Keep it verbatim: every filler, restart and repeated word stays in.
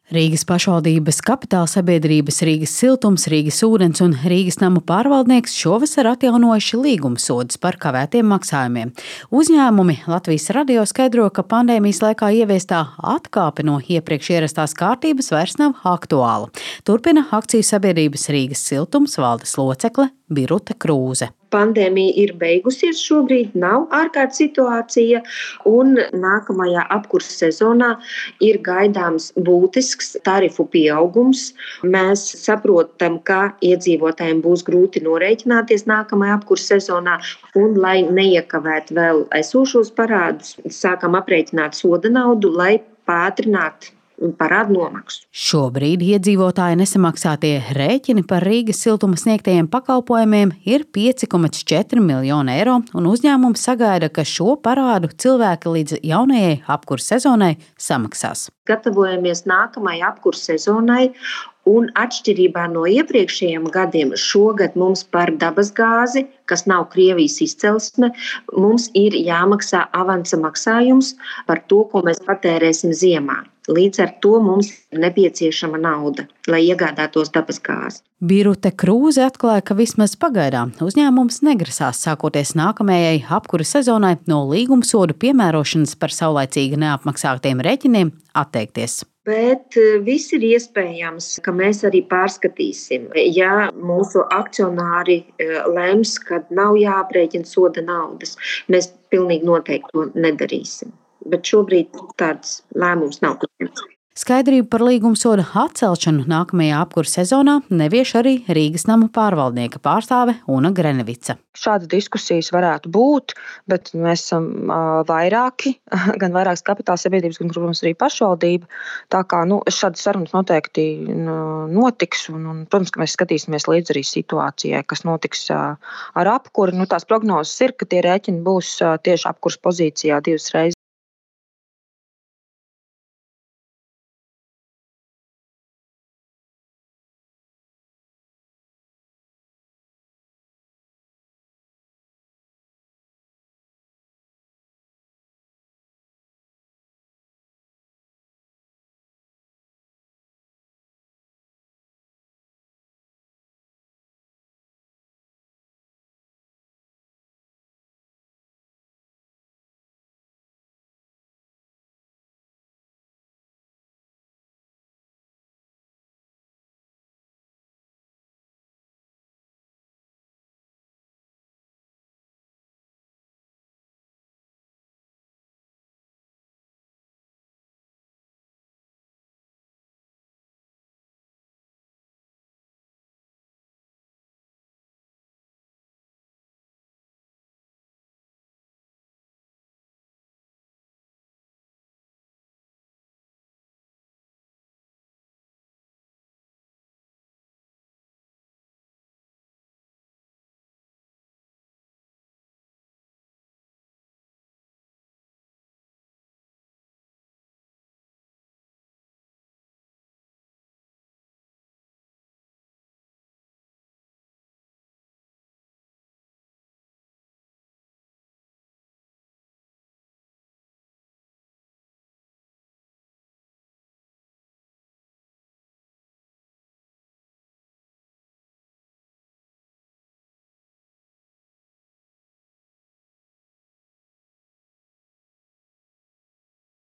Rīgas pašvaldības kapitāla sabiedrības Rīgas siltums, Rīgas ūdens un Rīgas namu pārvaldnieks šovasar atjaunojuši līgumsodus par kavētiem maksājumiem. Uzņēmumi Latvijas radio skaidro, ka pandēmijas laikā ieviestā atkāpe no iepriekš ierastās kārtības vairs nav aktuāla. Turpina akciju sabiedrības Rīgas siltums valdes locekle Birute Krūze. Pandēmija ir beigusies šobrīd, nav ārkārtas situācija, un nākamajā apkurses sezonā ir gaidāms būtisks tarifu pieaugums. Mēs saprotam, ka iedzīvotājiem būs grūti norēķināties nākamajā apkurses sezonā, un, lai neiekavētu vēl esošos parādus, sākam aprēķināt soda naudu, lai pātrinātu parādu nomaksu. Šobrīd iedzīvotāji nesamaksātie rēķini par Rīgas siltuma sniegtajiem pakalpojumiem ir pieci komats četri miljoni eiro, un uzņēmums sagaida, ka šo parādu cilvēki līdz jaunajai apkurses sezonai samaksās. Gatavojamies nākamajai apkurses sezonai, un atšķirībā no iepriekšējiem gadiem šogad mums par dabasgāzi, kas nav Krievijas izcelsme, mums ir jāmaksā avansa maksājums par to, ko mēs patērēsim ziemā. Līdz ar to mums ir nepieciešama nauda, lai iegādātos dabasgāzi. Birute Krūze atklāja, ka vismaz pagaidām uzņēmums negrasās sākoties nākamajai apkuras sezonai no līgumsodu piemērošanas par saulaicīgi neapmaksātiem rēķiniem atteikties. Bet viss ir iespējams, ka mēs arī pārskatīsim. Ja mūsu akcionāri lems, ka nav jāaprēķina soda naudas, mēs pilnīgi noteikti to nedarīsim. Bet šobrīd tāds lēmums nav pieņemts. Skaidrību par līgumsoda atcelšanu nākamajā apkurses sezonā nevieš arī Rīgas namu pārvaldnieka pārstāve Una Grenevica. Šādas diskusijas varētu būt, bet mēs esam uh, vairāki, gan vairākas kapitāla sabiedrības, gan, protams, arī pašvaldība. Tā kā nu, šādas sarunas noteikti uh, notiks, un, un, protams, ka mēs skatīsimies līdz arī situācijai, kas notiks uh, ar apkuri. Nu, tās prognozes ir, ka tie rēķini būs uh, tieši apkuras pozīcijā divas reizes